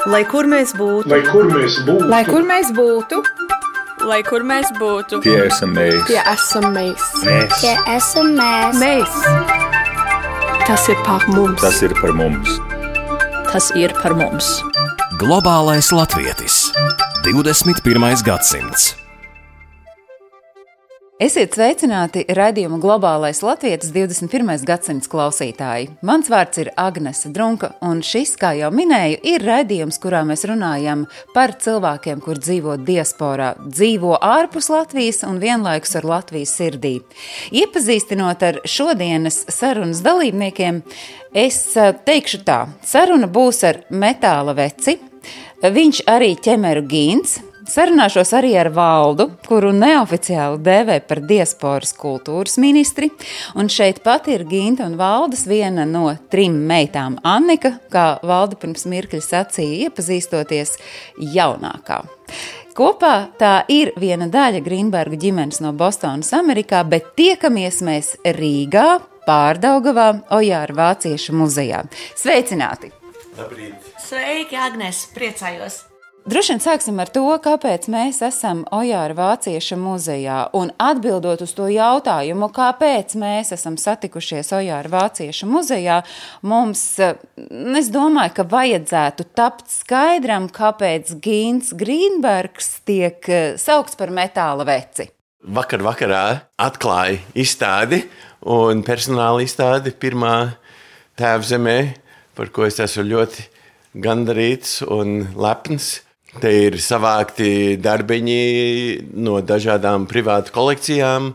Lai kur mēs būtu, Lai kur mēs būtu, Lai kur mēs būtu, Lai kur mēs būtu, Tie esam mēs. tie esam mēs. Tie esam mēs. Mēs. Tas ir par mums. Tas ir par mums. tas ir par mums. Globālais latvietis. 21. gadsimts. Esiet sveicināti raidījuma Globālais latvietis 21. gadsimts klausītāji. Mans vārds ir Agnese Drunka, un šis, kā jau minēju, ir raidījums, kurā mēs runājam par cilvēkiem, kur dzīvo diasporā, dzīvo ārpus Latvijas un vienlaikus ar Latvijas sirdī. Iepazīstinot ar šodienas sarunas dalībniekiem, es teikšu tā, saruna būs ar Metāla Veci, viņš arī Ķemeru Gīns. Sarunāšos arī ar Valdu, kuru neoficiāli dēvē par diasporas kultūras ministri, un šeit pat ir Ginta un Valdas viena no 3 meitām Annika, kā Valda pirms mirkļa sacīja, iepazīstoties jaunākā. Kopā tā ir viena daļa Grīnberga ģimenes no Bostonas, Amerikā, bet tiekamies mēs Rīgā, Pārdaugavā, Ojāra Vāciešu muzejā. Sveicināti! Labrīt. Sveiki, Agnes, priecājos! Droši vien sāksim ar to, kāpēc mēs esam Ojāra Vācieša muzejā. Un atbildot uz to jautājumu, kāpēc mēs esam satikušies Ojāra Vācieša muzejā, mums, es domāju, ka vajadzētu tapt skaidram, kāpēc Gīns Grīnbergs tiek saukts par Metāla Veci. Vakarā atklāja izstādi un personāla izstādi pirmā Tēvzemē, par ko es esmu ļoti gandarīts un lepns. Te ir savākti darbiņi no dažādām privātu kolekcijām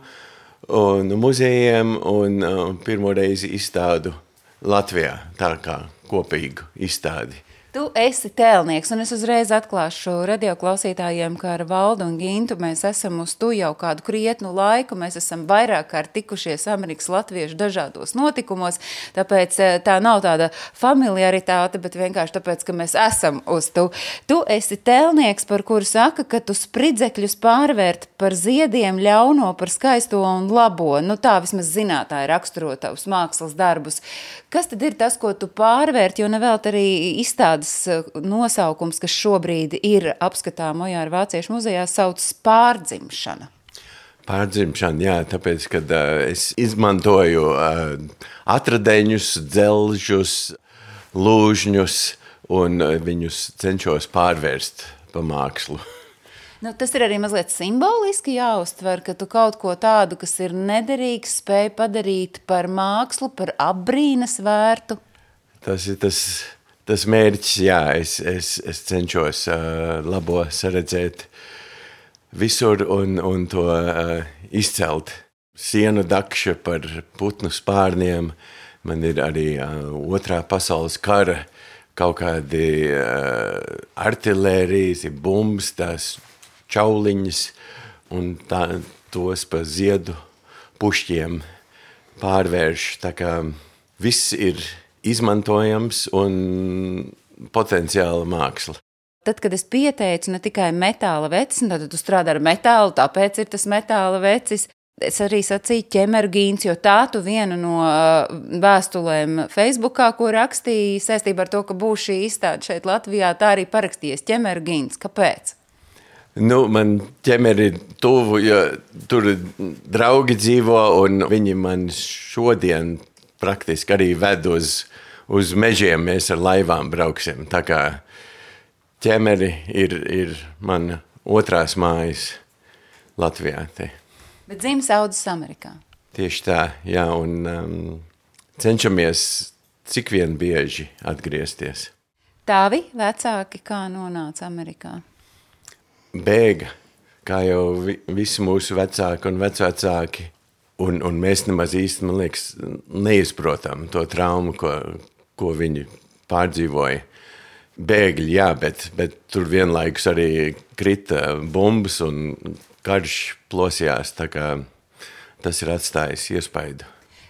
un muzejiem un pirmo reizi izstādu Latvijā, tā kā kopīgu izstādi. Tu esi tēlnieks, un es uzreiz atklāšu radioklausītājiem, ka ar Valdu un Gintu mēs esam uz tu jau kādu krietnu laiku, mēs esam vairāk kārt tikušies Amerikas latviešu dažādos notikumos, tāpēc tā nav tāda familiaritāte, bet vienkārši tāpēc, ka mēs esam uz tu. Tu esi tēlnieks, par kuru saka, ka tu spridzekļus pārvērt par ziediem ļauno, par skaisto un labo. Nu tā vismaz zinātāji raksturo tavus mākslas darbus. Kas tad ir tas, ko tu pārvērt, jo nevēlt arī izstādes nosaukums, kas šobrīd ir apskatām Ojāra Vāciešu muzejā, sauc pārdzimšana? Pārdzimšana, jā, tāpēc, kad es izmantoju atradeņus, dzelžus, lūžņus un viņus cenšos pārvērst pa mākslu. Nu, tas ir arī mazliet simboliski jāuztver, ka tu kaut ko tādu, kas ir nederīgs, spēj padarīt par mākslu, par apbrīnas vērtu. Tas ir tas mērķis, jā, es cenšos labo saredzēt visur un to izcelt. Sienu dakša par putnu spārniem, man ir arī otrā pasaules kara, kaut kādi artilērijas, bumbas, tās čauliņas un tos pa ziedu pušķiem pārvērš, tā kā viss ir izmantojams un potenciāla māksla. Tad, kad es pieteicu ne tikai Metāla Vecis, tad tu strādā ar metālu, tāpēc ir tas Metāla Vecis. Es arī sacīju Ķemeru Gīns, jo tā tu vienu no vēstulēm Facebookā, ko rakstīja saistībā ar to, ka būs šī izstāde šeit Latvijā, tā arī parakstījies Ķemeru Gīns. Kāpēc? Nu, man ķemeri ir tuvu, jo tur draugi dzīvo un viņi man šodien praktiski arī ved uz mežiem, mēs ar laivām brauksim. Tā kā ķemeri ir mana otrās mājas Latvijā. Te. Bet dzimis audzis Amerikā. Tieši tā, jā, un cenšamies cik vien bieži atgriezties. Tavi vecāki kā nonāca Amerikā? Bēga, kā jau visi mūsu vecāki un vecvecāki, un mēs nemaz īsti, man liekas, neizprotam to traumu, ko viņi pārdzīvoja. Bēgļi, jā, bet tur vienlaikus arī krita bumbas un karš plosījās, tā kā tas ir atstājis iespaidu.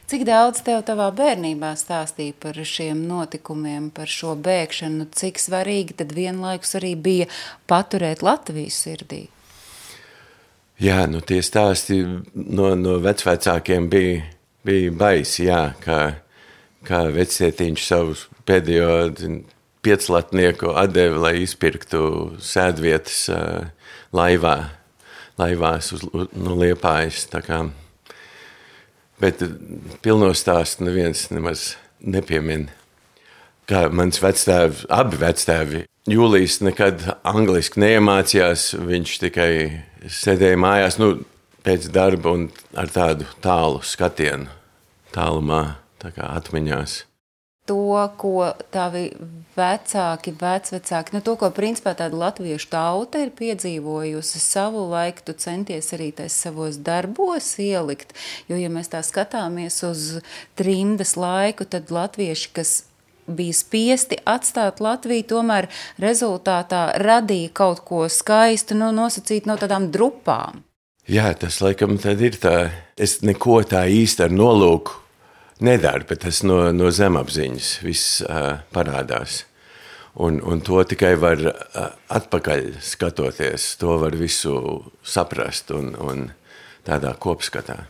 Cik daudz tev tavā bērnībā stāstīja par šiem notikumiem, par šo bēgšanu? Cik svarīgi tad vienlaikus arī bija paturēt Latviju sirdī? Jā, nu tie stāsti no vecvecākiem bija baisi, jā, kā vectietiņš savu pēdējo pieclatnieku atdevi, lai izpirktu sēdvietas laivās no Liepājas. Tā kā. Bet pilno stāstu neviens nemaz nepiemina. Kā mans vectēvi, abi vectēvi, Jūlijs nekad angliski neiemācījās, viņš tikai sēdēja mājās, pēc darba un ar tādu tālu skatienu, tālumā, tā kā atmiņās. To, ko tavi vecāki, vecvecāki, to, ko principā tāda latviešu tauta ir piedzīvojusi savu laiku, tu centies arī tais savos darbos ielikt, jo, ja mēs tā skatāmies uz trimdas laiku, tad latvieši, kas bija spiesti atstāt Latviju, tomēr rezultātā radīja kaut ko skaistu, nosacīt no tādām drupām. Jā, tas laikam tad ir tā. Es neko tā īsti ar nolūku nedaru, bet tas no zemapziņas viss parādās. Un to tikai var atpakaļ skatoties, to var visu saprast un tādā kopskatā.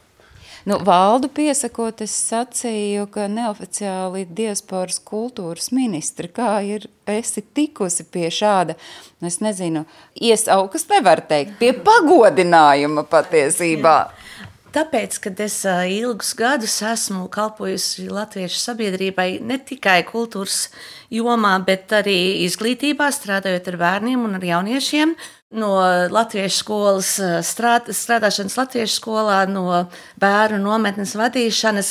Valdu piesakot, es sacīju, ka neoficiāli diasporas kultūras ministri, kā esi tikusi pie šāda, es nezinu, iesaukas nevar teikt, pie pagodinājuma patiesībā. Tāpēc, kad es ilgus gadus esmu kalpojusi latviešu sabiedrībai ne tikai kultūras jomā, bet arī izglītībā, strādājot ar bērniem un ar jauniešiem, no latviešu skolas strādāšanas latviešu skolā, no bērnu nometnes vadīšanas,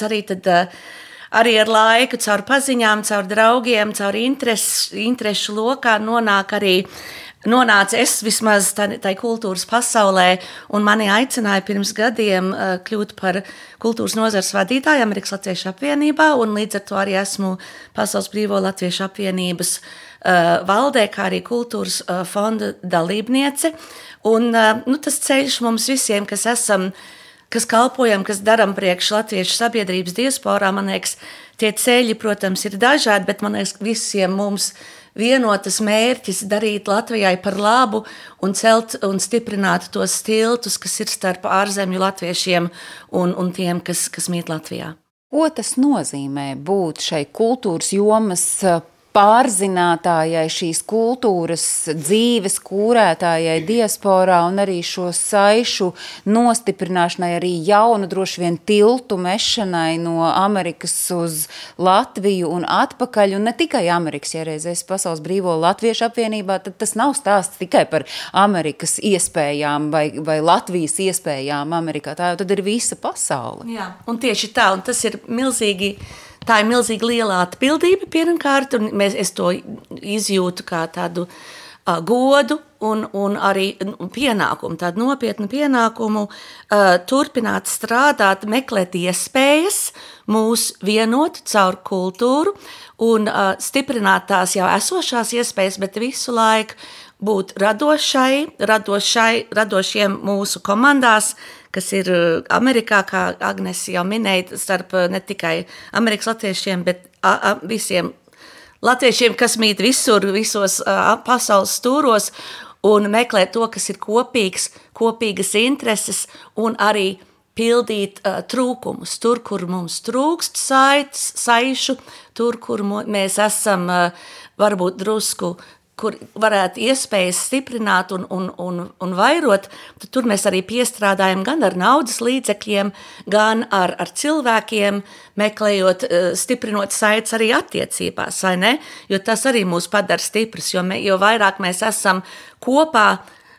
arī ar laiku, caur paziņām, caur draugiem, caur interešu lokā nonāca es vismaz tai kultūras pasaulē, un mani aicināja pirms gadiem kļūt par kultūras nozares vadītāju Amerikas Latviešu apvienībā, un līdz ar to arī esmu Pasaules Brīvo Latviešu apvienības valdē, kā arī kultūras fonda dalībniece. Un tas ceļš mums visiem, kas kalpojam, kas daram priekš latviešu sabiedrības diasporā, man liekas, tie ceļi, protams, ir dažādi, bet man liekas, visiem mums vienotas mērķis darīt Latvijai par labu un celt un stiprināt tos tiltus, kas ir starp ārzemju latviešiem un tiem, kas mīt Latvijā. Ko tas nozīmē būt šai kultūras jomas pārzinātājai, šīs kultūras dzīves kūrētājai diasporā un arī šo saišu nostiprināšanai, arī jaunu droši vien tiltu mešanai no Amerikas uz Latviju un atpakaļ, un ne tikai Amerikas, ja reizēs Pasaules Brīvo Latviešu apvienībā, tad tas nav stāsts tikai par Amerikas iespējām vai Latvijas iespējām Amerikā, tā jau tad ir visa pasaule. Jā, un tieši tā, un tas ir milzīgi. Tā ir milzīgi liela atbildība pirmkārt, un es to izjūtu kā tādu godu un arī pienākumu, tādu nopietnu pienākumu turpināt strādāt, meklēt iespējas mūs vienot caur kultūru un stiprināt tās jau esošās iespējas, bet visu laiku būt radošiem mūsu komandās, kas ir Amerikā, kā Agnes jau minēja, starp ne tikai Amerikas latviešiem, bet visiem latviešiem, kas mīt visos pasaules stūros, un meklēt to, kas ir kopīgas intereses, un arī pildīt trūkumus. Tur, kur mums trūkst saišu, tur, kur mēs esam varbūt drusku, kur varētu iespējas stiprināt un vairot, tad tur mēs arī piestrādājam gan ar naudas līdzekļiem, gan ar cilvēkiem, meklējot, stiprinot saites arī attiecībās, vai ne? Jo tas arī mūs padara stiprus, jo vairāk mēs esam kopā,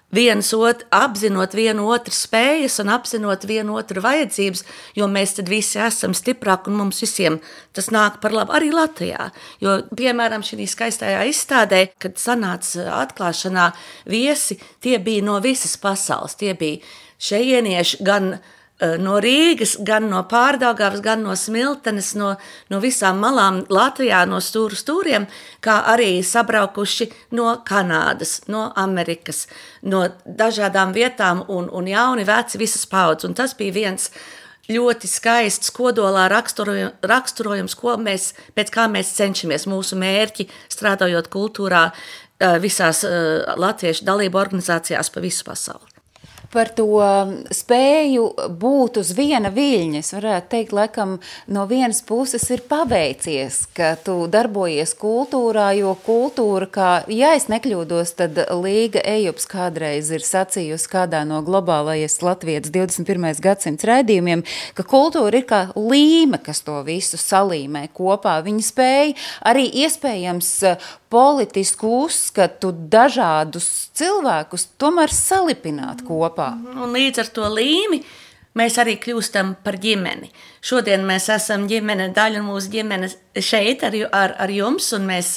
apzinot vienu otru spējas un apzinot vienu otru vajadzības, jo mēs tad visi esam stiprāki un mums visiem tas nāk par labu arī Latvijā. Jo, piemēram, šī skaistajā izstādē, kad sanāca atklāšanā viesi, tie bija no visas pasaules, tie bija šejienieši gan no Rīgas, gan no Pārdaugavas, gan no Smiltenes, no visām malām Latvijā, no stūriem, kā arī sabraukuši no Kanādas, no Amerikas, no dažādām vietām un jauni, veci, visas paudzes. Un tas bija viens ļoti skaists kodolā raksturojums, pēc kā mēs cenšamies mūsu mērķi, strādājot kultūrā visās latviešu dalību organizācijās pa visu pasauli. Par to spēju būt uz viena viļņa, es varētu teikt, laikam no vienas puses ir paveicies, ka tu darbojies kultūrā, jo kultūra, kā, ja es nekļūdos, tad Līga Ejups kādreiz ir sacījusi kādā no globālais Latvijas 21. gadsimts raidījumiem, ka kultūra ir kā līme, kas to visu salīmē kopā. Viņa spēja arī iespējams politisku uzskatu dažādus cilvēkus tomēr salipināt kopā. Un līdz ar to līmi mēs arī kļūstam par ģimeni. Šodien mēs esam ģimene, daļa mūsu ģimenes šeit ar jums, un mēs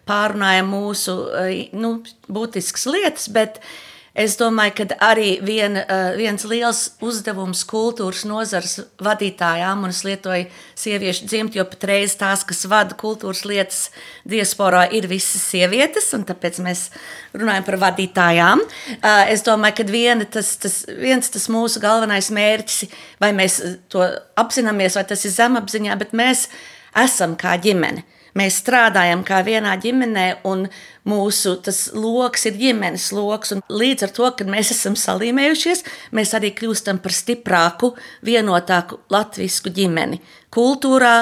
pārunājam mūsu būtiskas lietas, bet es domāju, ka arī viens liels uzdevums kultūras nozares vadītājām, un es lietoju sieviešu dzimtu, jo patreiz tās, kas vada kultūras lietas diasporā, ir visas sievietes, un tāpēc mēs runājam par vadītājām. Es domāju, ka viens tas mūsu galvenais mērķis, vai mēs to apzināmies, vai tas ir zemapziņā, bet mēs esam kā ģimene. Mēs strādājam kā vienā ģimenē, un mūsu loks ir ģimenes loks. Un līdz ar to, kad mēs esam salīmējušies, mēs arī kļūstam par stiprāku, vienotāku latvisku ģimeni. Kultūrā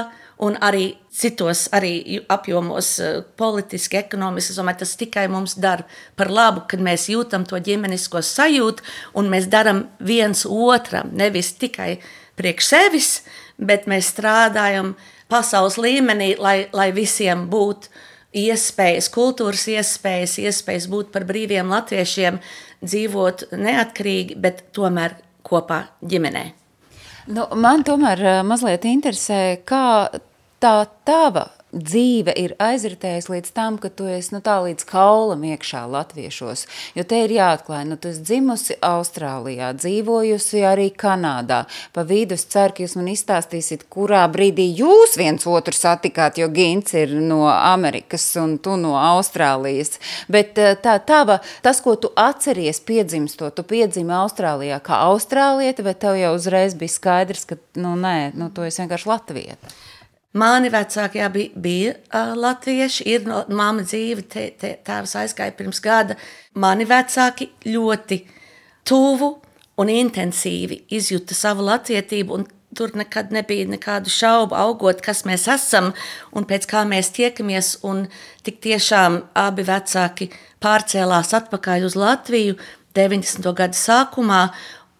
un arī citos apjomos, politiski, ekonomiski. Es domāju, tas tikai mums dara par labu, kad mēs jūtam to ģimenisko sajūtu, un mēs daram viens otram, nevis tikai priekš sevis, bet mēs strādājam pasaules līmenī, lai visiem būtu iespējas, kultūras iespējas būt par brīviem latviešiem, dzīvot neatkarīgi, bet tomēr kopā ģimenē. Man tomēr mazliet interesē, kā tā tava dzīve ir aizritējusi līdz tam, ka tu esi tā līdz kaulam iekšā latviešos, jo te ir jāatklāj, tu esi dzimusi Austrālijā, dzīvojusi arī Kanādā. Pa vidu es ceru, ka jūs man izstāstīsiet, kurā brīdī jūs viens otru satikāt, jo Gints ir no Amerikas un tu no Austrālijas. Bet tas, ko tu atceries piedzimstot, tu piedzimi Austrālijā kā austrālieta, bet tev jau uzreiz bija skaidrs, ka tu esi vienkārši latvieta. Mani vecāki bija latvieši, ir mamma dzīve, tēvs aizgāja pirms gada. Mani vecāki ļoti tuvu un intensīvi izjuta savu latvietību, un tur nekad nebija nekādu šaubu augot, kas mēs esam un pēc kā mēs tiekamies, un tik tiešām abi vecāki pārcēlās atpakaļ uz Latviju 90. gadu sākumā,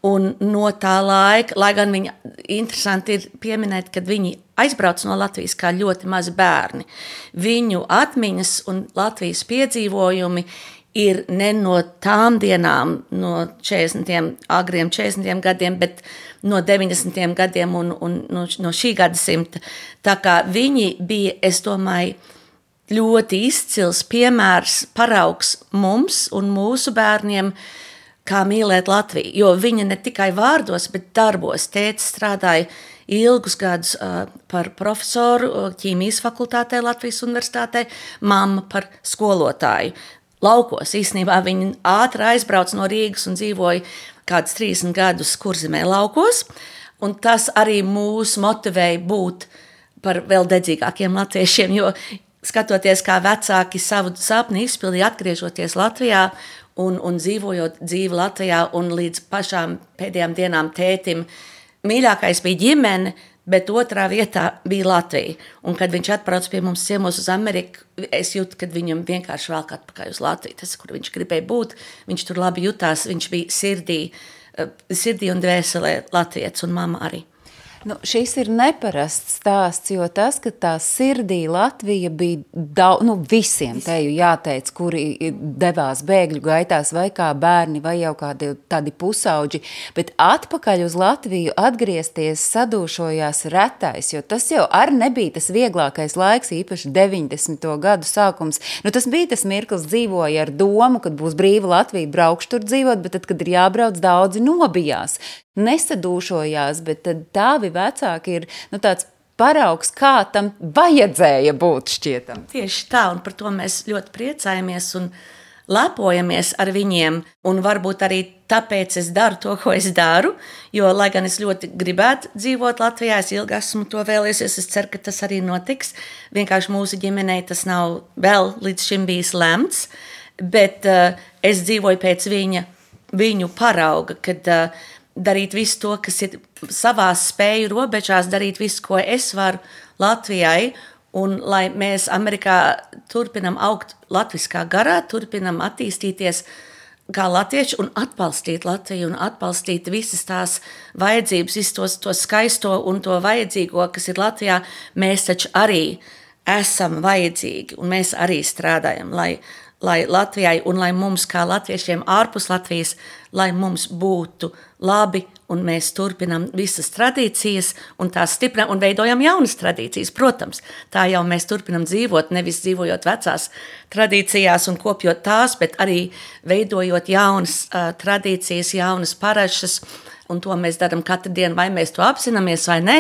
un no tā laika, lai gan viņi interesanti ir pieminēt, kad viņi aizbrauc no Latvijas kā ļoti mazi bērni. Viņu atmiņas un Latvijas piedzīvojumi ir ne no tām dienām, no 40. agriem 40. gadiem, bet no 90. gadiem un no šī gadsimta. Tā kā viņi bija, es domāju, ļoti izcils piemērs, paraugs mums un mūsu bērniem, kā mīlēt Latviju, jo viņa ne tikai vārdos, bet darbos. Tētis strādāja ilgus gadus par profesoru ķīmijas fakultātē Latvijas universitātē, mamma par skolotāju. Laukos īstenībā viņa ātri aizbrauc no Rīgas un dzīvoja kādus 30 gadus Kurzemē laukos, un tas arī mūs motivēja būt par vēl dedzīgākiem latviešiem, jo skatoties, kā vecāki savu sapni izpildīja atgriežoties Latvijā, un dzīvojot dzīvi Latvijā, un līdz pašām pēdējām dienām tētim mīļākais bija ģimene, bet otrā vietā bija Latvija. Un kad viņš atbrauc pie mums ciemos uz Ameriku, es jūtu, kad viņam vienkārši velk atpakaļ uz Latviju. Tas, kur viņš gribēja būt, viņš tur labi jutās, viņš bija sirdī un dvēselē latvietis, un mamma arī. Šis ir neparasts stāsts, jo tas, ka tā sirdī Latvija bija visiem teju jāteic, kuri devās bēgļu gaitās vai kā bērni vai jau kādi tādi pusauģi, bet atpakaļ uz Latviju atgriezties sadūšojās retais, jo tas jau arī nebija tas vieglākais laiks, īpaši 90. gadu sākums. Tas bija tas mirklis, dzīvoja ar domu, kad būs brīva Latvija, braukšu tur dzīvot, bet tad, kad ir jābrauc, daudzi nobijās. Nesadūšojās, bet tad tavi vecāki ir tāds paraugs, kā tam vajadzēja būt šķietam. Tieši tā, un par to mēs ļoti priecājamies un lepojamies ar viņiem, un varbūt arī tāpēc es daru to, ko es daru, jo, lai gan es ļoti gribētu dzīvot Latvijā, es ilgi esmu to vēlējusies, es ceru, ka tas arī notiks. Vienkārši mūsu ģimenei tas nav vēl līdz šim bijis lemts, bet es dzīvoju pēc viņa viņu parauga, kad darīt visu to, kas ir savās spēju robežās, darīt visu, ko es varu Latvijai, un lai mēs Amerikā turpinam augt latviskā garā, turpinam attīstīties kā latvieši un atbalstīt Latviju un atbalstīt visas tās vajadzības, visu to skaisto un to vajadzīgo, kas ir Latvijā, mēs taču arī esam vajadzīgi un mēs arī strādājam, lai Latvijai un lai mums kā latviešiem ārpus Latvijas, lai mums būtu labi un mēs turpinam visas tradīcijas un tās stiprinām un veidojam jaunas tradīcijas. Protams, tā jau mēs turpinam dzīvot, nevis dzīvojot vecās tradīcijās un kopjot tās, bet arī veidojot jaunas tradīcijas, jaunas parašas, un to mēs darām katru dienu, vai mēs to apzināmies vai ne,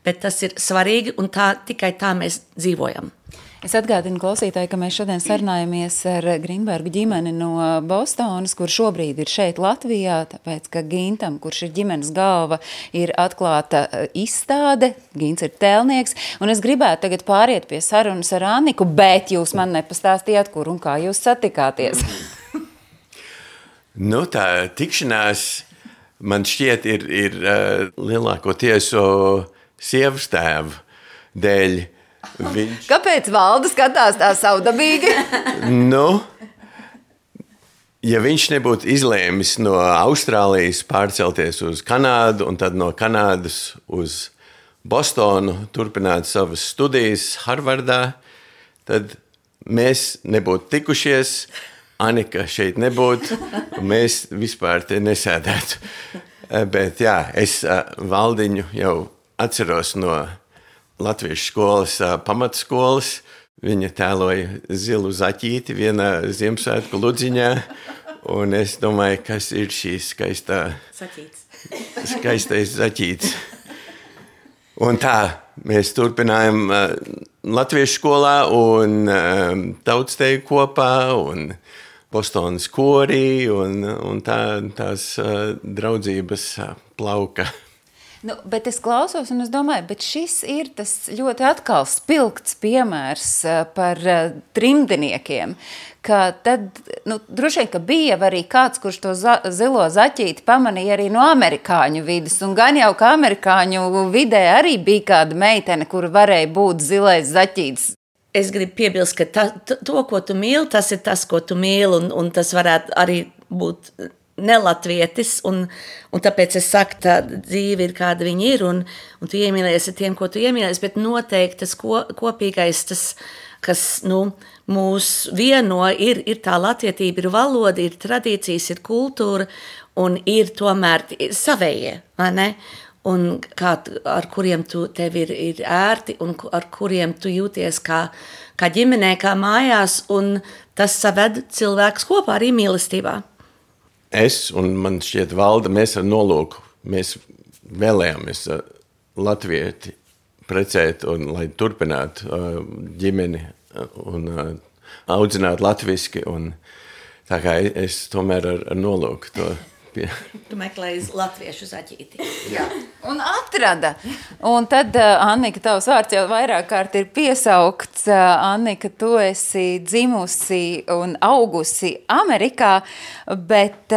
bet tas ir svarīgi un tikai tā mēs dzīvojam. Es atgādinu klausītāji, ka mēs šodien sarunājamies ar Grīnbergu ģimeni no Bostonas, kur šobrīd ir šeit Latvijā, tāpēc, ka Gintam, kurš ir ģimenes galva, ir atklāta izstāde, Gins ir tēlnieks, un es gribētu tagad pāriet pie sarunas ar Anniku, bet jūs man nepastāstījāt, kur un kā jūs satikāties. Nu, tā tikšanās, man šķiet, ir lielākoties sievas tēva dēļ. Kāpēc Valda skatās tā savdabīgi? Nu, ja viņš nebūtu izlēmis no Austrālijas pārcelties uz Kanādu un tad no Kanādas uz Bostonu turpināt savas studijas Harvardā, tad mēs nebūtu tikušies, Annika šeit nebūtu, un mēs vispār te nesēdētu. Bet jā, es Valdiņu jau atceros no Latviešu skolas pamatskolas. Viņa tēloja zilu zaķīti vienā Ziemassvētku ludziņā, un es domāju, kas ir šīs skaistais zaķītis. Un tā, mēs turpinājām Latviešu skolā un tautsteju kopā, un Bostonas korī, un tās draudzības plauka. Nu, bet es klausos un es domāju, bet šis ir tas ļoti atkal spilgts piemērs par trimdiniekiem, ka tad, droši vien, ka bija arī kāds, kurš to zilo zaķīti pamanīja arī no amerikāņu vidas, un gan jau, ka amerikāņu vidē arī bija kāda meitene, kura varēja būt zilais zaķītis. Es gribu piebilst, ka to, ko tu mīli, tas ir tas, ko tu mīli, un tas varētu arī būt nelatvietis, un tāpēc es saku, tā dzīve ir kāda viņa ir, un tu iemīlējies ar tiem, ko tu iemīlējies, bet noteikti tas kopīgais, tas, kas mūs vieno, ir tā latvietība, ir valoda, ir tradīcijas, ir kultūra, un ir tomēr savējie, vai ne? Un ar kuriem tev ir ērti, un ar kuriem tu jūties kā ģimenē, kā mājās, un tas saved cilvēkus kopā arī mīlestībā. Es un man šķiet Valda, mēs ar nolūku, mēs vēlējāmies latvieti precēt, un lai turpinātu ģimeni un audzināt latviski, un tā kā es tomēr ar nolūku to Tu meklēji latviešu zaķīti. Jā, un atrada. Un tad, Annika, tavs vārds jau vairāk kārt ir piesaukts. Annika, tu esi dzimusi un augusi Amerikā, bet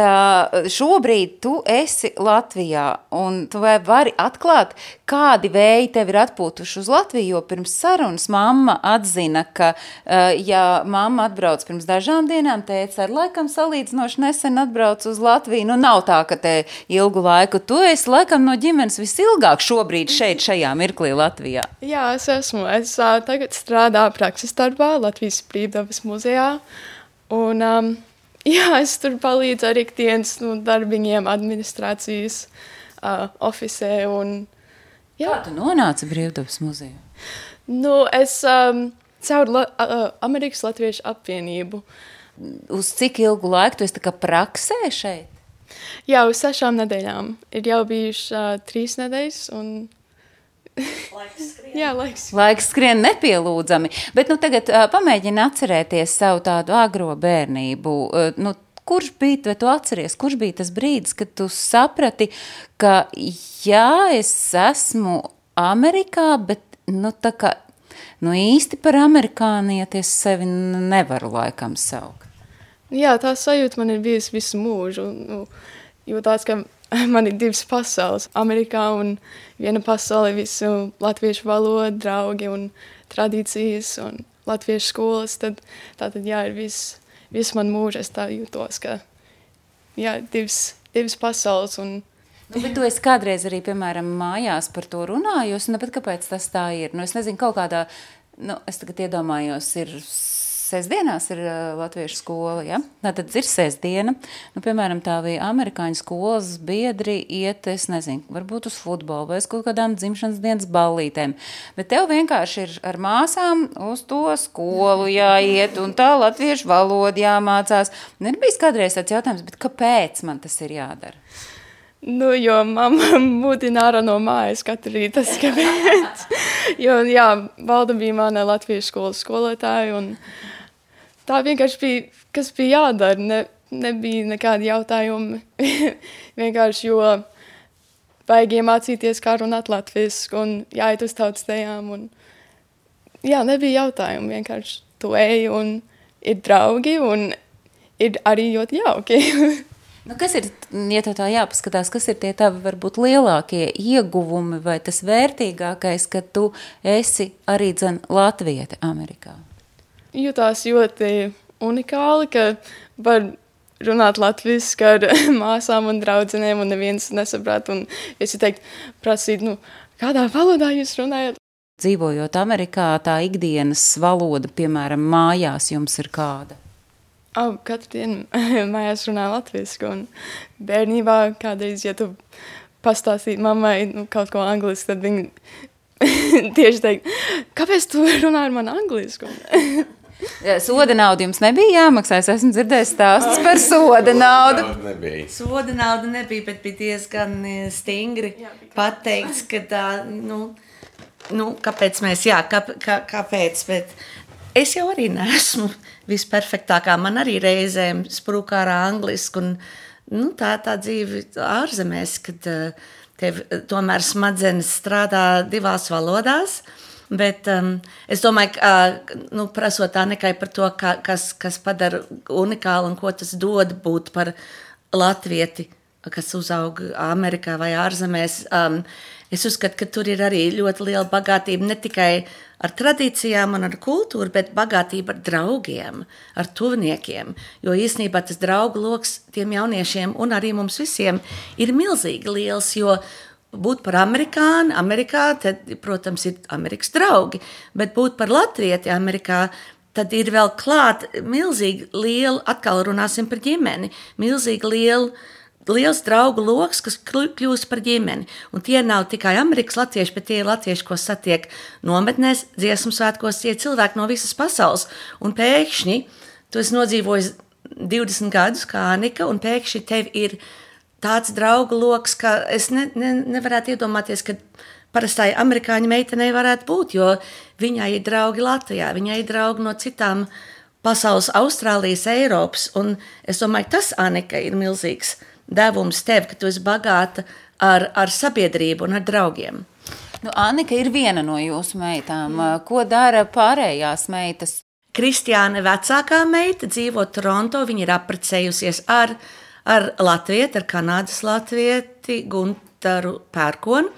šobrīd tu esi Latvijā. Un tu vari atklāt, kādi vēji tev ir atpūtuši uz Latviju, jo pirms sarunas mamma atzina, ka, ja mamma atbrauc pirms dažām dienām, tētis ar laikam salīdzinoši nesen atbrauc uz Latviju. Nu, nav tā, ka te ilgu laiku. Tu esi laikam no ģimenes visilgāk šobrīd šajā mirklī Latvijā. Jā, es esmu. Es tagad strādāju prakses darbā Latvijas Brīvdabas muzejā. Un jā, es tur palīdzu ar ikdienas darbiņiem administrācijas ofisē. Un, jā. Kā tu nonāci Brīvdabas muzejā? Nu, es caur Amerikas Latviešu apvienību. Uz cik ilgu laiku tu esi tā kā praksē šeit? Jā, uz 6 nedēļām. Ir jau bijuši 3 nedēļas un... Laiks skrien. Jā, laiks. Laiks skrien nepielūdzami. Bet tagad pamēģini atcerēties savu tādu agro bērnību. Kurš bija, vai tu atceries, kurš bija tas brīdis, kad tu saprati, ka jā, es esmu Amerikā, bet tā kā īsti par amerikānieti es sevi nevaru laikam saukt? Jā, tā sajūta man ir bijusi visu mūžu. Jo tāds, ka man ir divas pasaules. Amerikā un viena pasaule visu latviešu valodu, draugi un tradīcijas un latviešu skolas. Tātad, jā, ir viss man mūža. Es tā jūtos, ka jā, divas pasaules. Bet tu esi kādreiz arī, piemēram, mājās par to runājusi, bet kāpēc tas tā ir? Es nezinu, kaut kādā, es tagad iedomājos, ir sestdienās ir latviešu skola, ja? Tad ir sestdiena. Piemēram, tā bija amerikāņu skolas biedri iet, es nezinu, varbūt uz futbolu vai uz kaut kādām dzimšanas dienas ballītēm. Bet tev vienkārši ir ar māsām uz to skolu jāiet un tā latviešu valoda jāmācās. Ir bijis kādreiz tāds jautājums, bet kāpēc man tas ir jādara? Jo mamma mūtina ārā no mājas katru rītu, tas kāpēc. Jo, jā, Valda bija mana latviešu skolas skolotāja, un tā vienkārši bija, kas bija jādara, nebija nekādi jautājumi. Vienkārši, jo vajag iemācīties, kā runāt latviski, un jāiet uz tautstējām, un jā, nebija jautājumi, vienkārši tu ej, un ir draugi, un ir arī ļoti jauki. Kas ir, ja tā jāpaskatās, kas ir tie tavi varbūt lielākie ieguvumi vai tas vērtīgākais, ka tu esi arī latviete Amerikā? Jutās ļoti unikāli, ka var runāt latviski ar māsām un draudzenēm un neviens nesaprāt. Un es teikt, prasīt, kādā valodā jūs runājat? Dzīvojot Amerikā, tā ikdienas valoda, piemēram, mājās jums ir kāda? Katru dienu mājās runā latviski, un bērnībā kādreiz, ja tu pastāstītu mammai kaut ko angliski, tad viņi tieši teikt, kāpēc tu runā ar mani angliski? Soda nauda jums nebija jāmaksā, es esmu dzirdējis stāstus par soda naudu. Soda nauda nebija, bet bija diezgan stingri pateikts, ka tā, kāpēc mēs, kāpēc, bet es jau arī neesmu visperfektākā. Man arī reizēm sprūk ārā angliski, un tā dzīve ārzemēs, kad tev tomēr smadzenes strādā divās valodās, bet es domāju, ka prasot tā nekai par to, kas padara unikāli un ko tas dod būt par latvieti, kas uzaug Amerikā vai ārzemēs. Es uzskatu, ka tur ir arī ļoti liela bagātība ne tikai ar tradīcijām un ar kultūru, bet bagātība ar draugiem, ar tuviniekiem. Jo īstenībā tas draugu loks tiem jauniešiem un arī mums visiem ir milzīgi liels, jo būt par amerikāni Amerikā, tad, protams, ir Amerikas draugi, bet būt par latvieti Amerikā, tad ir vēl klāt milzīgi liela, atkal runāsim par ģimeni, milzīgi liels draugu loks, kas kļūst par ģimeni. Un tie nav tikai Amerikas latvieši, bet tie ir latvieši, ko satiek nometnēs, dziesmu svētkos, tie cilvēki no visas pasaules. Un pēkšņi, tu esi nodzīvojis 20 gadus kā Anika, un pēkšņi tev ir tāds draugu loks, ka es nevarētu iedomāties, ka parastai amerikāņu meitenei varētu būt, jo viņai ir draugi Latvijā, viņai ir draugi no citām pasaules, Austrālijas, Eiropas. Un es domāju, tas, Anika, ir milzīgs devums tev, ka tu esi bagāta ar sabiedrību un ar draugiem. Anika ir viena no jūsu meitām. Ko dara pārējās meitas? Kristiāne vecākā meita dzīvo Toronto. Viņa ir apprecējusies ar latvieti, ar Kanādas latvieti Guntaru Pērkonu.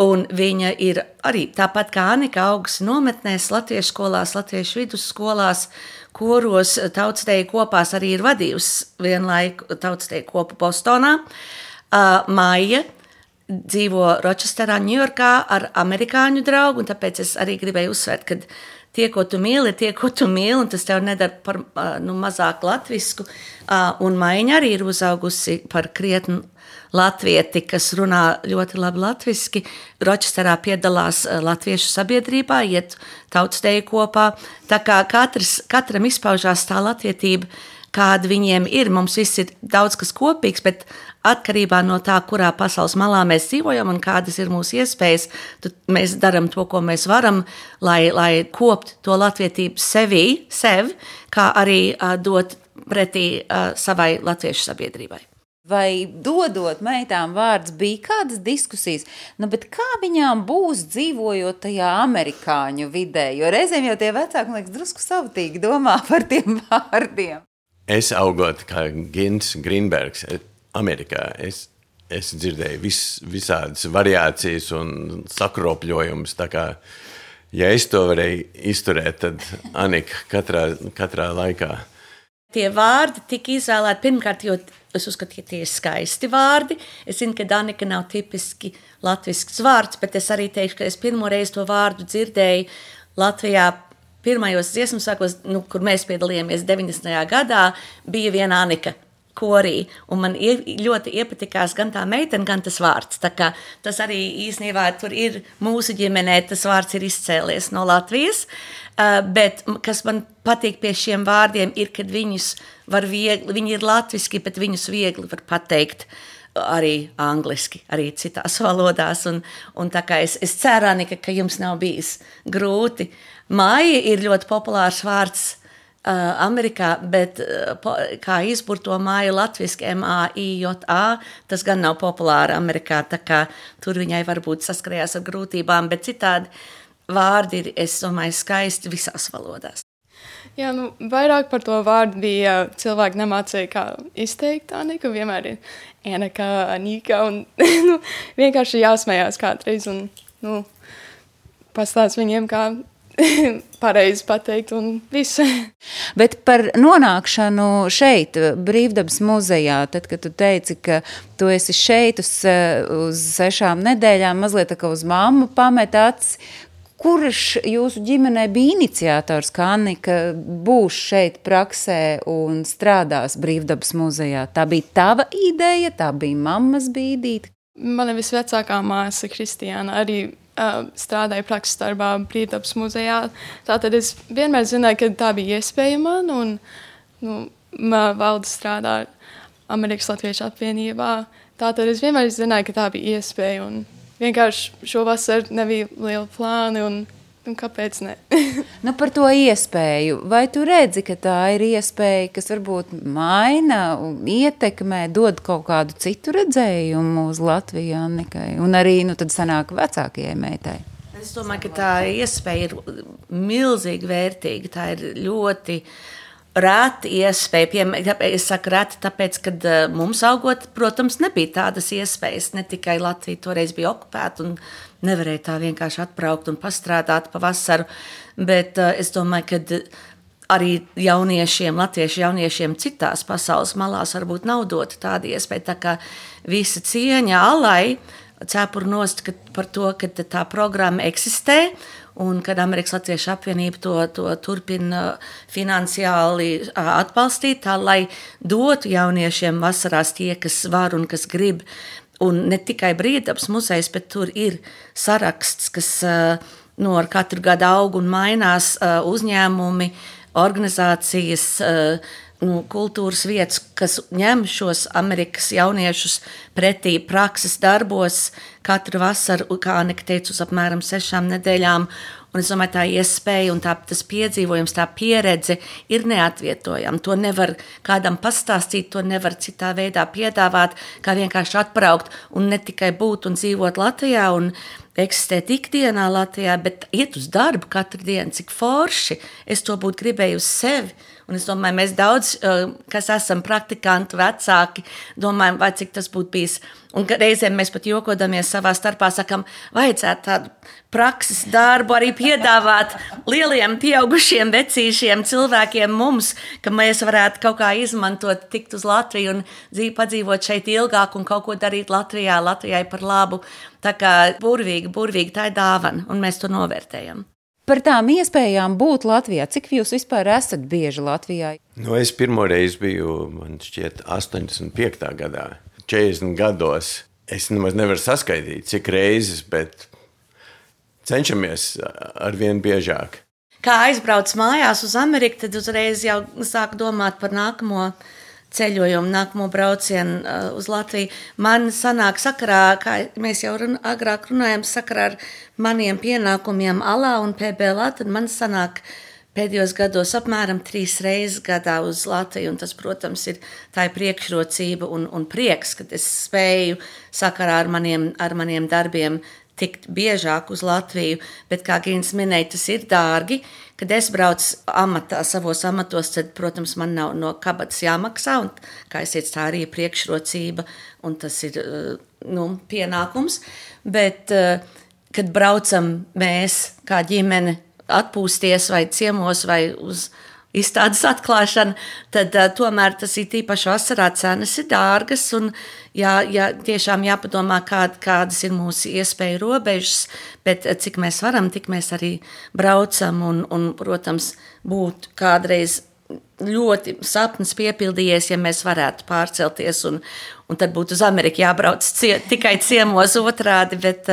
Un viņa ir arī tāpat kā Anika augusi nometnēs, latviešu skolās, latviešu vidusskolās, koros, tautsteju kopās arī ir vadījusi vienlaiku tautsteju kopu Bostonā. Maija dzīvo Rochesterā, Ņujorkā ar amerikāņu draugu, un tāpēc es arī gribēju uzsvērt, ka tie, ko tu mīli, ir tie, ko tu mīli, un tas tev nedara par mazāk latvisku. Un Maiņa arī ir uzaugusi par krietnu latvieti, kas runā ļoti labi latviski. Rochesterā piedalās latviešu sabiedrībā, iet tautsteju kopā. Tā kā katram izpaužās tā latvietība, kāda viņiem ir. Mums viss ir daudz kas kopīgs, bet atkarībā no tā, kurā pasaules malā mēs dzīvojam un kādas ir mūsu iespējas, mēs darām to, ko mēs varam, lai koptu to latvietību sev, kā arī dot pretī savai latviešu sabiedrībai. Vai dodot meitām vārds bija kādas diskusijas, bet kā viņām būs dzīvojot tajā amerikāņu vidē? Jo reizēm jau tie vecāki, man liekas, drusku savtīgi domā par tiem vārdiem. es augot kā Gins Grīnbergs Amerikā, es dzirdēju visādas variācijas un sakropļojumus, tā kā, ja es to varēju izturēt, tad Anika katrā laikā. Tie vārdi tika izvēlēti pirmkārt, jo es uzskatu, ka tie ir skaisti vārdi. Es zinu, ka Danika nav tipiski latvisks vārds, bet es arī teikšu, ka es pirmo reizi to vārdu dzirdēju Latvijā pirmajos dziesmu sākos, kur mēs piedalījāmies 90. gadā, bija viena Anika korī, un man ļoti iepatikās gan tā meitene, gan tas vārds. Tā kā tas arī īstenībā tur ir mūsu ģimenē, tas vārds ir izcēlies no Latvijas, bet kas man patīk pie šiem vārdiem ir, kad viņus var viegli, viņi ir latviski, bet viņus viegli var pateikt arī angliski, arī citās valodās, un tā kā es ceru, Anika, ka jums nav bijis grūti. Maija ir ļoti populārs vārds Amerikā, bet kā izburto māju latviski M-A-I-J-A, tas gan nav populāri Amerikā, tā kā tur viņai varbūt saskarējās ar grūtībām, bet citādi vārdi ir, es domāju, skaisti visās valodās. Jā, vairāk par to vārdu bija cilvēki nemācīja, kā izteikt Anika, vienmēr ir Anika, Anika, un vienkārši jāsmējās kādreiz, un pastāst viņiem, kā pareizi pateikt un visu. Bet par nonākšanu šeit, Brīvdabas muzejā, tad, kad tu teici, ka tu esi šeit uz 6 nedēļām, mazliet tā kā uz mammu pamet acis, kurš jūsu ģimenē bija iniciators, ka Anika būs šeit praksē un strādās Brīvdabas muzejā? Tā bija tava ideja, tā bija mammas bīdīte? Mana visvecākā māsa Kristiāna arī strādāja prakses darbā Brīvdabas muzejā. Tātad es vienmēr zināju, ka tā bija iespēja man, un valde strādā Amerikas Latviešu apvienībā. Tātad es vienmēr zināju, ka tā bija iespēja, un vienkārši šovasar nebija liela plāni, un kāpēc ne? Par to iespēju. Vai tu redzi, ka tā ir iespēja, kas varbūt maina, ietekmē, dod kaut kādu citu redzējumu uz Latviju, Annikai? Un arī, tad sanāk vecākajai meitai. Es domāju, ka tā iespēja ir milzīgi vērtīga. Tā ir ļoti rēta iespēja. Es saku rēta, tāpēc, kad mums augot, protams, nebija tādas iespējas. Ne tikai Latvija toreiz bija okupēta un nevarēja tā vienkārši atbraukt un pastrādāt pa vasaru, bet es domāju, ka arī jauniešiem, latviešu jauniešiem citās pasaules malās varbūt nav dota tāda iespēja, tā kā visa cieņa Alai cepuru nost par to, ka tā programma eksistē, un kad Amerikas Latviešu apvienība to turpina finansiāli atbalstīt, tā lai dotu jauniešiem vasarās tie, kas var un kas grib. Un ne tikai Brīvdabas muzejs, bet tur ir saraksts, kas ar katru gadu aug un mainās uzņēmumi, organizācijas, kultūras vietas, kas ņem šos Amerikas jauniešus pretī prakses darbos katru vasaru, kā Anika teica, uz apmēram 6 nedēļām. Un es domāju, tā iespēja un tas piedzīvojums, tā pieredze ir neatvietojama. To nevar kādam pastāstīt, to nevar citā veidā piedāvāt, kā vienkārši atbraukt un ne tikai būt un dzīvot Latvijā un eksistēt ikdienā Latvijā, bet iet uz darbu katru dienu, cik forši. Es to būtu gribēju uz sevi. Un es domāju, mēs daudz, kas esam praktikanti, vecāki, domājam, vai cik tas būtu bijis. Un reizēm mēs pat jokodamies savā starpā, sakam, vajadzētu tādu prakses darbu arī piedāvāt lieliem pieaugušiem vecīšiem cilvēkiem mums, ka mēs varētu kaut kā izmantot, tikt uz Latviju un padzīvot šeit ilgāk un kaut ko darīt Latvijai par labu. Tā kā burvīgi, tā ir dāvana, un mēs to novērtējam. Par tām iespējām būt Latvijā. Cik jūs vispār esat bieži Latvijā? Es pirmo reizi biju, man šķiet, 85. gadā, 40 gados. Es nemaz nevaru saskaitīt, cik reizes, bet cenšamies arvien biežāk. Kā aizbrauc mājās uz Ameriku, tad uzreiz jau sāku domāt par nākamo ceļojumu, nākamo braucienu uz Latviju. Man sanāk sakarā, kā mēs jau agrāk runājam, sakarā ar maniem pienākumiem Alā un PBLA, tad man sanāk pēdējos gados apmēram 3 reizes gadā uz Latviju, un tas, protams, tā ir priekšrocība un prieks, kad es spēju sakarā ar maniem darbiem tikt biežāk uz Latviju, bet, kā Gīns minēja, tas ir dārgi, kad es braucu savos amatos, tad, protams, man nav no kabatas jāmaksā, un, kā es teicu, tā arī ir priekšrocība, un tas ir pienākums. Bet, kad braucam mēs kā ģimene atpūsties vai ciemos vai uz izstādes atklāšana, tad tomēr tas ir tīpaši vasarā cenas ir dārgas un tiešām jāpadomā, kādas ir mūsu iespēju robežas, bet cik mēs varam, tik mēs arī braucam un protams, būtu kādreiz ļoti sapnis piepildījies, ja mēs varētu pārcelties un tad būtu uz Ameriku jābrauc tikai ciemos otrādi, bet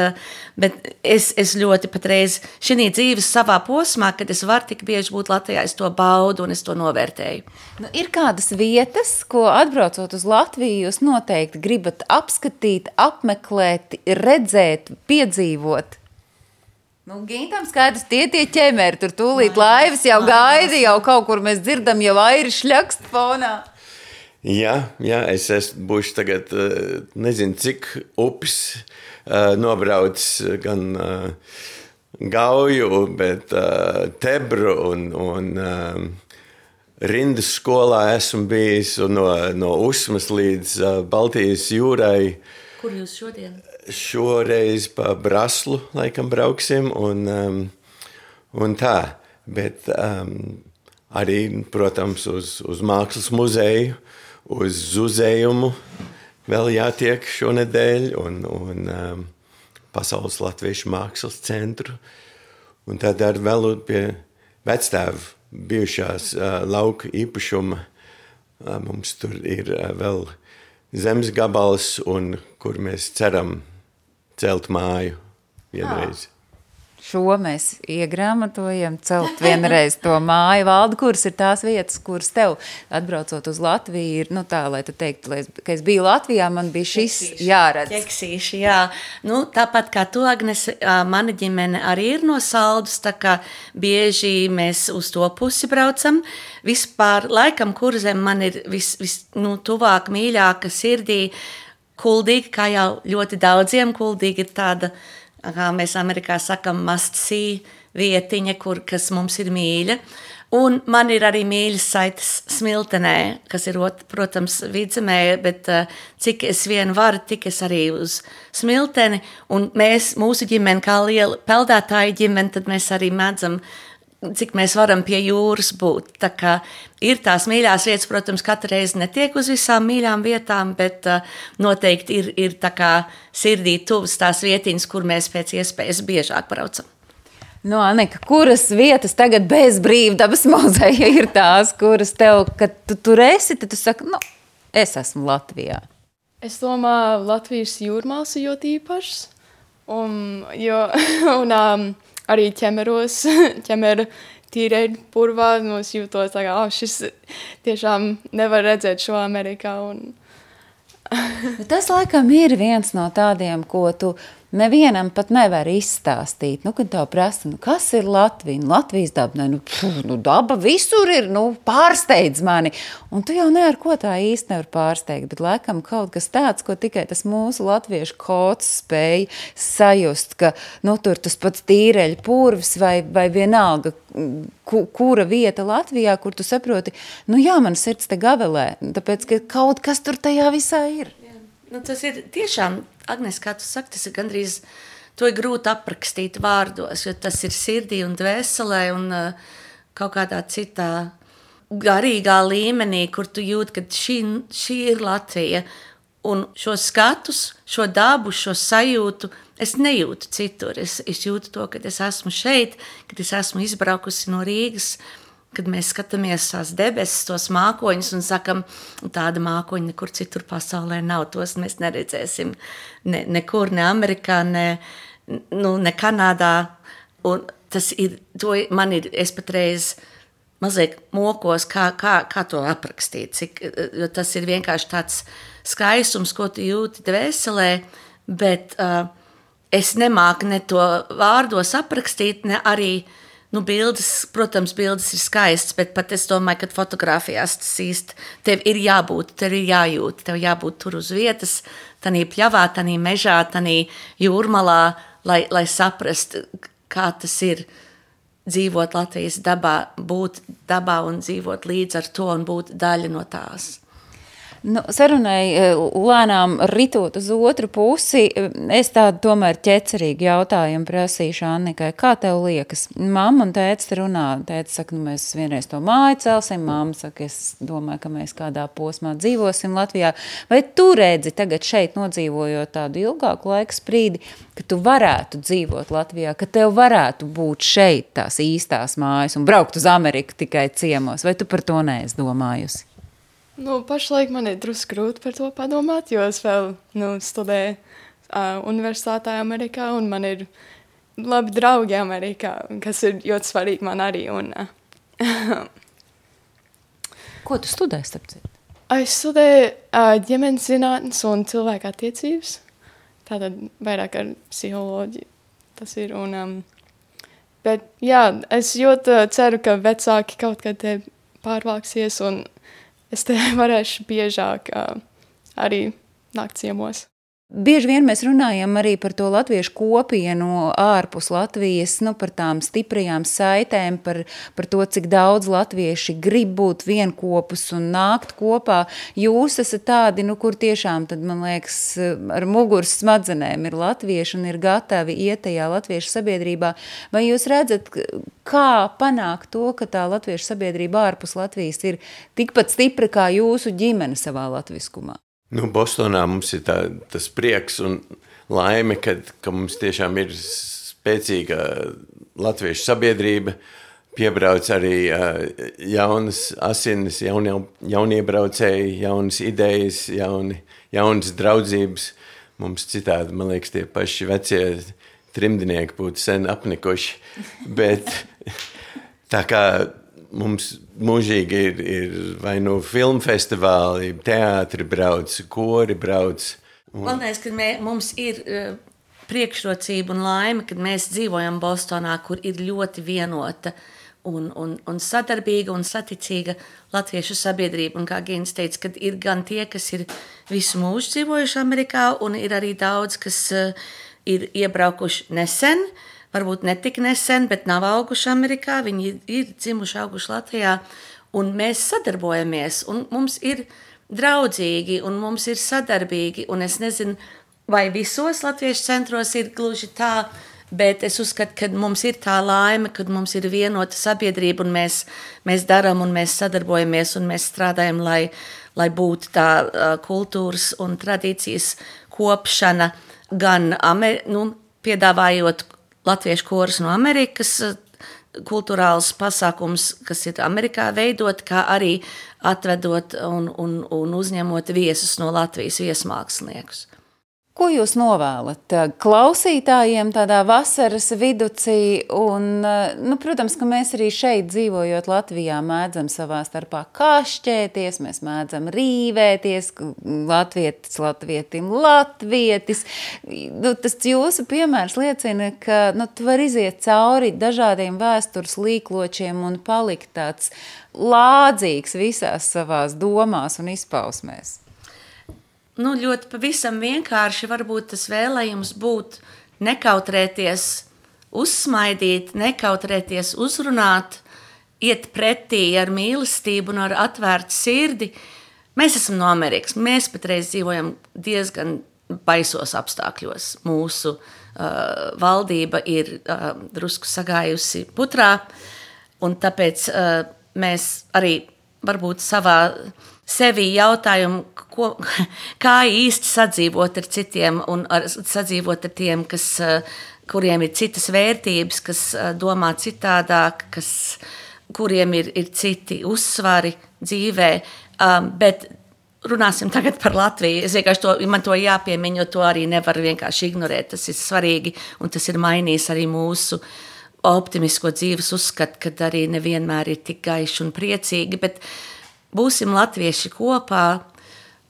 es ļoti patreiz šī dzīves savā posmā, kad es varu tik bieži būt Latvijā, es to baudu un es to novērtēju. Ir kādas vietas, ko atbraucot uz Latviju, jūs noteikti gribat apskatīt, apmeklēt, redzēt, piedzīvot? Gintam skaidrs, tie ķemeri, tur tūlīt laivas jau gaida, jau kaut kur mēs dzirdam, jau airi šļakst fonā. Jā, es būšu tagad, nezinu, cik upes nobraucis gan Gauju, bet Tebru un Rindas skolā esmu bijis un no Usmas līdz Baltijas jūrai. Kur jūs šodien? Šoreiz pa Braslu laikam brauksim un tā, bet arī, protams, uz mākslas muzeju, uz zuzējumu vēl jātiek šonedēļ un Pasaules latviešu mākslas centru. Un tad arī vēl pie vectēva bijušās lauka īpašuma. Mums tur ir vēl zemes gabals, un kur mēs ceram celt māju vienreiz. Šo mēs iegrāmatojam, celt vienreiz to māju. Valdi, kuras ir tās vietas, kuras tev atbraucot uz Latviju ir, tā, lai tu teiktu, ka es biju Latvijā, man bija šis jāredz. Ķeksīši, jā. Tāpat kā tu, Agnes, mana ģimene arī ir no Saldus, tā kā bieži mēs uz to pusi braucam. Vispār, laikam, Kurzem man ir tuvāk, mīļāka sirdī, Kuldīga, kā jau ļoti daudziem, Kuldīga ir tāda, kā mēs Amerikā sakam, must see vietiņa, kas mums ir mīļa. Un man ir arī mīļas saites Smiltenē, kas ir, protams, Vidzemē, bet cik es vien varu, tik es arī uz Smilteni. Un mūsu ģimene, kā liela peldētāja ģimene, tad mēs arī mēdzam, cik mēs varam pie jūras būt. Tā kā ir tās mīļās vietas, protams, katru reizi netiek uz visām mīļām vietām, bet noteikti ir tā kā sirdī tuvas tās vietiņas, kur mēs pēc iespējas biežāk braucam. Anika, kuras vietas tagad bez brīvdabas muzeja ir tās, kuras tev, kad tu tur esi, tad tu saki, es esmu Latvijā? Es domāju, Latvijas jūrmāls ir ļoti īpašs, arī ķemeru tīrēļu purvā, es jūtos tā kā, šis tiešām nevar redzēt šo Amerikā. Tas laikam ir viens no tādiem, ko tu nevienam pat nevar izstāstīt. Kad tev prasa, kas ir Latvija? Latvijas daba, daba visur ir, pārsteidz mani. Un tu jau ne ar ko tā īsti nevar pārsteigt, bet laikam kaut kas tāds, ko tikai tas mūsu latviešu kods spēja sajust, ka, tur tas pats tīreļu purvs vai vienalga, kura vieta Latvijā, kur tu saproti, man sirds te gavelē, tāpēc, ka kaut kas tur tajā visā ir. Tas ir tiešām, Agnes, kā tu saki, tas ir gandrīz, to ir grūti aprakstīt vārdos, jo tas ir sirdī un dvēselē un kaut kādā citā garīgā līmenī, kur tu jūti, ka šī ir Latvija. Un šo skatus, šo dabu, šo sajūtu, es nejūtu citur. Es jūtu to, kad es esmu šeit, kad es esmu izbraukusi no Rīgas, kad mēs skatāmies tās debesis, tos mākoņus un sakam, tāda mākoņa nekur citur pasaulē nav, tos mēs neredzēsim nekur, ne Amerikā, ne Kanādā. Un tas ir, es patreiz mazliet mokos, kā to aprakstīt, jo tas ir vienkārši tāds skaistums, ko tu jūti dvēselē, bet es nemāku ne to vārdos aprakstīt, ne arī bildes, protams, bildes ir skaistas, bet pat es domāju, ka fotografijās tas īsti tev ir jābūt, tev ir jājūt, tev jābūt tur uz vietas, tanī pļavā, tanī mežā, tanī jūrmalā, lai saprast, kā tas ir dzīvot Latvijas dabā, būt dabā un dzīvot līdz ar to un būt daļa no tās. Nu, sarunai lēnām ritot uz otru pusi, es tādu tomēr ķecerīgu jautājumu prasīšu Annikai. Kā tev liekas? Mamma un tētis runā. Tētis saka, nu mēs vienreiz to māju celsim. Mamma saka, es domāju, ka mēs kādā posmā dzīvosim Latvijā. Vai tu redzi tagad šeit nodzīvojot tādu ilgāku laiku sprīdi, ka tu varētu dzīvot Latvijā, ka tev varētu būt šeit tās īstās mājas un braukt uz Ameriku tikai ciemos? Vai tu par to neesi domājusi? Nu, pašlaik man ir drusku grūti par to padomāt, jo es vēl studēju universitātē Amerikā, un man ir labi draugi Amerikā, kas ir ļoti svarīgi man arī. Ko tu studēji, starp citu? Es studēju ģimenes zinātnes un cilvēku attiecības, tātad vairāk ar psiholoģiju tas ir. Bet jā, es ļoti ceru, ka vecāki kaut kad te pārvāksies, un es te varēšu biežāk arī nākt ciemos. Bieži vien mēs runājam arī par to latviešu kopienu ārpus Latvijas, par tām stiprajām saitēm, par to, cik daudz latvieši grib būt vienkopus un nākt kopā. Jūs esat tādi, kur tiešām, tad, man liekas, ar muguras smadzenēm ir latvieši un ir gatavi iet tajā latviešu sabiedrībā. Vai jūs redzat, kā panākt to, ka tā latviešu sabiedrība ārpus Latvijas ir tikpat stipra kā jūsu ģimene savā latviskumā? Bostonā mums ir tas prieks un laime, ka mums tiešām ir spēcīga latviešu sabiedrība, piebrauc arī jaunas asinis, jauniebraucēji, jaunas idejas, jaunas draudzības. Mums citādi, man liekas, tie paši vecie trimdinieki būtu sen apnikuši, bet tā kā mums mūžīgi ir vai filmu festivāli, teātri brauc, kori brauc. Man liekas, ka mums ir priekšrocība un laime, kad mēs dzīvojam Bostonā, kur ir ļoti vienota un sadarbīga un saticīga latviešu sabiedrība. Un kā Gins teica, kad ir gan tie, kas ir visu mūžu dzīvojuši Amerikā, un ir arī daudz, kas ir iebraukuši nesen, varbūt ne tik nesen, bet nav auguši Amerikā, viņi ir dzimuši, auguši Latvijā, un mēs sadarbojamies, un mums ir draudzīgi, un mums ir sadarbīgi, un es nezinu, vai visos latviešu centros ir gluži tā, bet es uzskatu, ka mums ir tā laime, kad mums ir vienota sabiedrība, un mēs darām, un mēs sadarbojamies, un mēs strādājam, lai būtu tā kultūras un tradīcijas kopšana, gan piedāvājot latviešu koris no Amerikas, kultūrāls pasākums, kas ir Amerikā veidot, kā arī atvedot un uzņemot viesus no Latvijas viesmāksliniekus. Ko jūs novēlat klausītājiem tādā vasaras viducī? Un, protams, ka mēs arī šeit dzīvojot Latvijā mēdzam savā starpā kašķēties, mēs mēdzam rīvēties, latvietim latvietis. Tas jūsu piemērs liecina, ka tu vari iziet cauri dažādiem vēstures līkločiem un palikt tāds lādzīgs visās savās domās un izpausmēs. Ļoti pavisam vienkārši varbūt tas vēlējums būt nekautrēties, uzsmaidīt, nekautrēties, uzrunāt, iet pretī ar mīlestību un ar atvērtu sirdi. Mēs esam no Amerikas, mēs patreiz dzīvojam diezgan baisos apstākļos. Mūsu valdība ir drusku sagājusi putrā, un tāpēc mēs arī varbūt savā sevi jautājumu, kā īsti sadzīvot ar citiem un sadzīvot ar tiem, kuriem ir citas vērtības, kas domā citādāk, kuriem ir citi uzsvari dzīvē. Bet runāsim tagad par Latviju. Es vienkārši man to jāpiemiņ, jo to arī nevar vienkārši ignorēt. Tas ir svarīgi un tas ir mainījis arī mūsu optimisko dzīves uzskatu, kad arī nevienmēr ir tik gaiši un priecīgi, bet būsim latvieši kopā,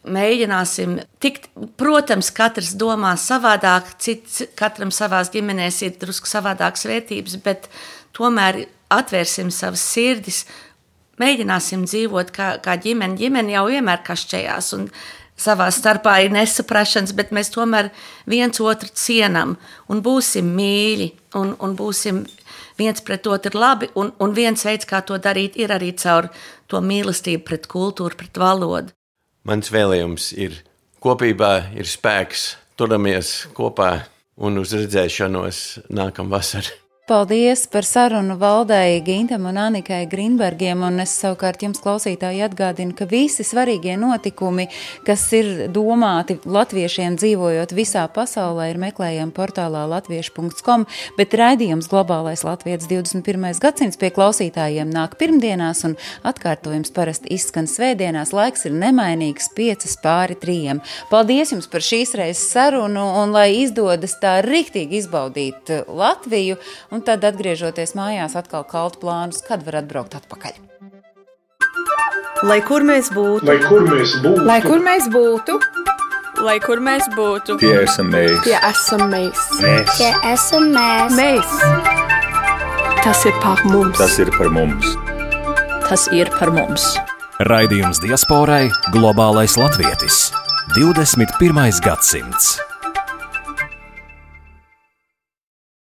mēģināsim tikt, protams, katrs domā savādāk, katram savās ģimenēs ir drusku savādākas vērtības, bet tomēr atvērsim savas sirdis, mēģināsim dzīvot kā ģimene. Ģimene jau vienmēr kašķējās un savā starpā ir nesaprašanas, bet mēs tomēr viens otru cienam un būsim mīļi un būsim viens pret otru labi, un viens veids, kā to darīt, ir arī caur to mīlestību pret kultūru, pret valodu. Mans vēlējums ir kopībā ir spēks, turamies kopā un uz redzēšanos nākamvasar. Paldies par sarunu Valdei Gintam un Anikai Grinbergiem, un es savukārt jums klausītāji atgādinu, ka visi svarīgie notikumi, kas ir domāti latviešiem dzīvojot visā pasaulē, ir meklējami portālā latviešu.com, bet raidījums Globālais Latvietis 21. gadsimts pie klausītājiem nāk pirmdienās, un atkārtojums parasti izskan svētdienās, laiks ir nemainīgs 2:55. Paldies jums par šīs reizes sarunu, un lai izdodas tā riktīgi izbaudīt Latviju, un tad, atgriežoties mājās, atkal kalt plānus, kad var atbraukt atpakaļ. Lai kur mēs būtu, lai kur mēs būtu, lai kur mēs būtu, Lai kur mēs būtu, tie esam mēs. tie esam mēs. Tie esam mēs. Mēs. Tas ir par mums. Tas ir par mums. tas ir par mums. Raidījums diasporai Globālais Latvietis. 21. gadsimts.